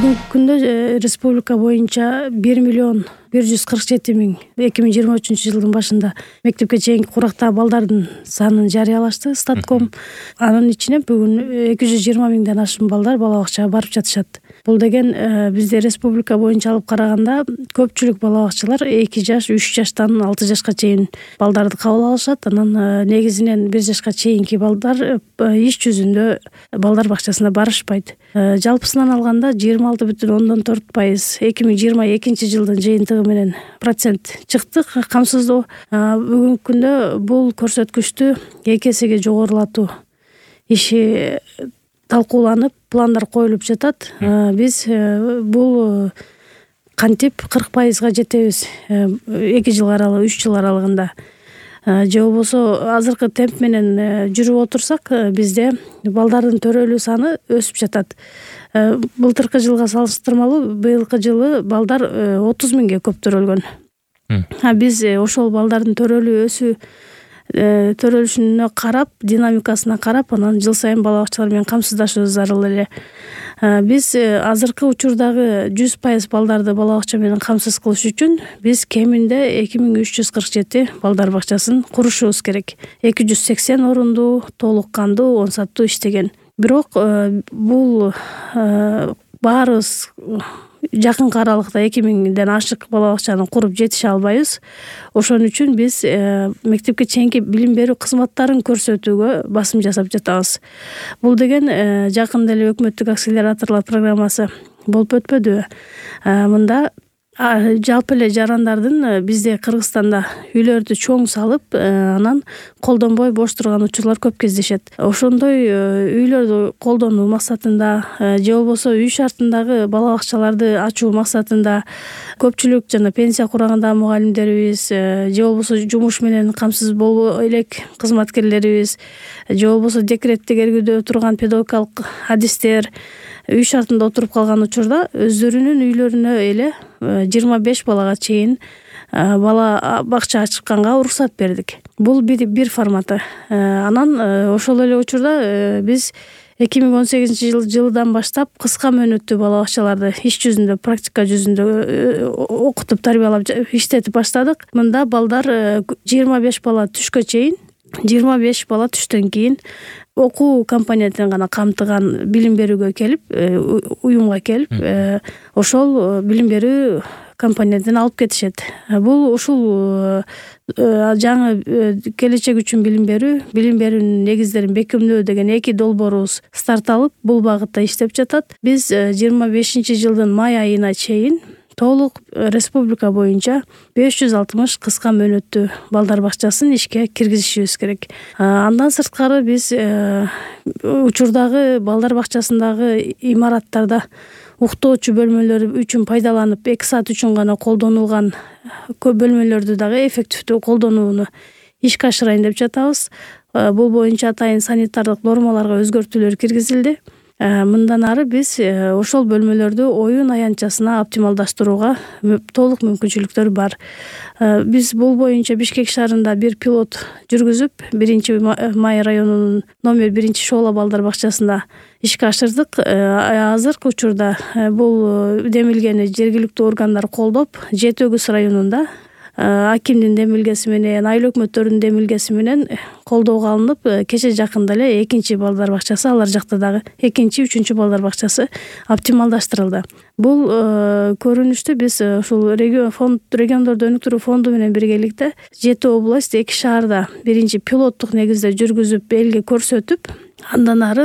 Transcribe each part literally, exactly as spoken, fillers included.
Бүгүнкү күндө республика боюнча бир миллион бир жүз кырк жети миң эки миң жыйырма үчүнчү жылдын башында мектепке чейинки курактагы балдардын санын жарыялашты Статком. Анын ичинен бүгүн эки жүз жыйырма миңден ашуун балдар бала бакчага барып жатышат. Бул деген бизде республика боюнча алып караганда көпчүлүк бала бакчалар эки жаш, үч жаштан алты жашка чейин балдарды кабыл алышат. Анан негизинен бир жашка чейинки балдар иш жүзүндө балдар бакчасына барышпайт. Жалпысынан алганда жыйырма алты бүтүн ондон төрт пайыз эки миң жыйырма экинчи жылдын жыйынтыгы менен процент чыкты камсыздоо. Бүгүнкү күндө бул көрсөткүчтү эки эсеге жогорулатуу иши талкууланып, пландар коюлуп жатат. Биз бул кантип кырк пайызга жетебиз эки жыл аралыгы, үч жыл аралыгында же болбосо азыркы темп менен жүрүп отурсак, бизде балдардын төрөлүү саны өсүп жатат. Былтыркы жылга салыштырмалуу быйылкы жылы балдар отуз миңге көп төрөлгөн. Биз ошол балдардын төрөлүү өсүү төрөлүшүнө карап, динамикасына карап, анан жыл сайын бала бакчалар менен камсыздашуу зарыл эле. Биз азыркы учурдагы жүз пайыз балдарды бала бакча менен камсыз кылыш үчүн биз кеминде эки миң үч жүз кырк жети балдар бакчасын курушубуз керек. эки жүз сексен орундуу, толук кандуу, он саттуу иштеген. Бирок бул баарыбыз жакынкы аралыкта эки миңден ашык бала бакчаны куруп жетише албайбыз. Ошон үчүн биз мектепке чейинки билим берүү кызматтарын көрсөтүүгө басым жасап жатабыз. Бул деген жакында эле өкмөттүк акселераторлор программасы болуп өтпөдүбү? Мында жалпы эле жарандардын бизде Кыргызстанда үйлөрдү чоң салып, анан колдонбой бош турган учурлар көп кездешет. Ошондой үйлөрдү колдонуу максатында же болбосо үй шартындагы бала бакчаларды ачуу максатында көпчүлүк жана пенсия курагандагы мугалимдерибиз, же болбосо жумуш менен камсыз болбой элек кызматкерлерибиз, же болбосо декреттик эргүүдө турган педагогикалык адистер үй шартында отуруп калган учурда өздөрүнүн үйлөрүнө эле жыйырма беш балага чейин бала бакча ачканга уруксат бердик. Бул бир бир форматы. Анан ошол эле учурда биз эки миң он сегизинчи жылдан баштап кыска мөөнөттүү бала бакчаларды иш жүзүндө, практика жүзүндө окутуп, тарбиялап, иштетип баштадык. Мында балдар жыйырма беш бала түшкө чейин, жыйырма беш бала түштөн кийин окуу компонентин гана камтыган билим берүүгө келип, уюмга келип, ошол билим берүү компонентин алып кетишет. Бул ушул жаңы келечек үчүн билим берүү, билим берүүнүн негиздерин бекемдөө деген эки долбоорубуз старт алып, бул багытта иштеп жатат. Биз жыйырма бешинчи жылдын май айына чейин толук республика боюнча беш жүз алтымыш кыска мөөнөттүү балдар бакчасын ишке киргизишибиз керек. Андан сырткары биз учурдагы балдар бакчасындагы имараттарда уктоочу бөлмөлөр үчүн пайдаланып, эки саат үчүн гана колдонулган көп бөлмөлөрдү дагы эффективдүү колдонууну ишке ашырайын деп жатабыз. Бул боюнча атайын санитардык нормаларга өзгөртүүлөр киргизилди. Мындан ары биз ошол бөлмөлөрдү оюн аянтчасына оптималдаштырууга толук мүмкүнчүлүктөр бар. Биз бул боюнча Бишкек шаарында бир пилот жүргүзүп, биринчи май районунун номер биринчи шоола балдар бакчасында ишке ашырдык. Азыркы учурда бул демилгени жергиликтүү органдар колдоп, Жети Өгүз районунда акимдин демилгеси менен, айыл өкмөттөрүнүн демилгеси менен колдоого алынып, кече жакында эле экинчи балдар бакчасы, алар жакта дагы экинчи, үчүнчү балдар бакчасы оптималдаштырылды. Бул көрүнүштү биз ушул регион фонд, региондорду өнүктүрүү фонду менен биргеликте жети область, эки шаарда биринчи пилоттук негизде жүргүзүп, элге көрсөтүп, андан ары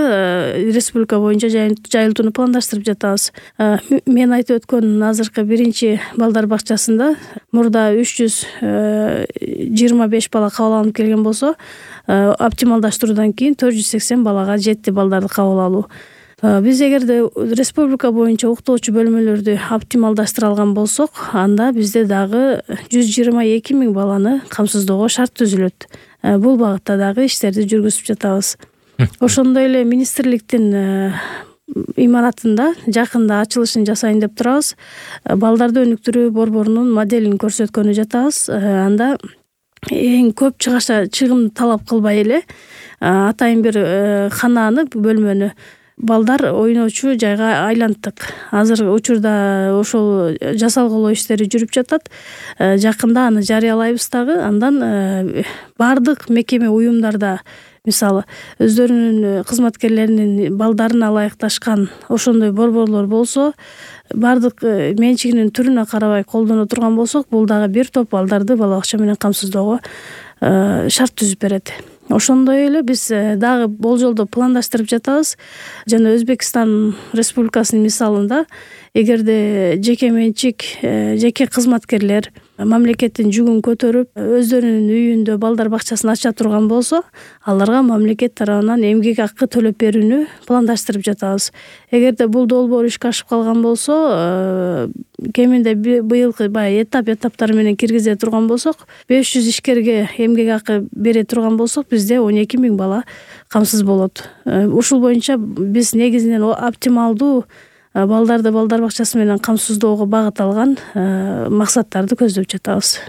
республика боюнча жайылтууну пландаштырып жатабыз. Мен айтып өткөн азыркы биринчи балдар бакчасында мурда үч жүз жыйырма беш бала кабыл алынып келген болсо, оптималдаштыруудан кийин төрт жүз сексен балага жетти балдарды кабыл алуу. Биз эгерде республика боюнча уктоочу бөлмөлөрдү оптималдаштыра алган болсок, анда бизде дагы жүз жыйырма эки миң баланы камсыздоого шарт түзүлөт. Бул багытта дагы иштерди жүргүзүп жатабыз. Ошондой эле министрликтин имаратында жакында ачылышын жасайын деп турабыз. Балдарды өнүктүрүү борборунун моделин көрсөткөнү жатабыз. Анда эң көп чыгаша чыгым талап кылбай эле атайын бир хананы, бөлмөнү балдар ойночу жайга айланттык. Азыркы учурда ошол жасалгылоо иштери жүрүп жатат. Жакында аны жарыялайбыз дагы. Андан бардык мекеме уюмдарда мисалы өздөрүнүн кызматкерлеринин балдарына ылайыкташкан ошондой борборлор болсо, бардык менчигинин түрүнө карабай колдоно турган болсок, бул дагы бир топ балдарды бала бакча менен камсыздоого шарт түзүп берет. Ошондой эле биз дагы болжолдо пландаштырып жатабыз. Жана Өзбекстан Республикасынын мисалында эгерде жеке менчик, жеке кызматкерлер мамлекеттин жүгүн көтөрүп, өздөрүнүн үйүндө балдар бакчасын ача турган болсо, аларга мамлекет тарабынан эмгек акы төлөп берүүнү пландаштырып жатабыз. Эгерде бул долбоор ишке ашып калган болсо, кеминде быйылкы баягы этап этаптары менен киргизе турган болсок, беш жүз ишкерге эмгек акы бере турган болсок, бизде он эки миң бала камсыз болот. Ушул боюнча биз негизинен оптималдуу балдарды балдар бакчасы менен камсыздоого багыт алган максаттарды көздөп жатабыз.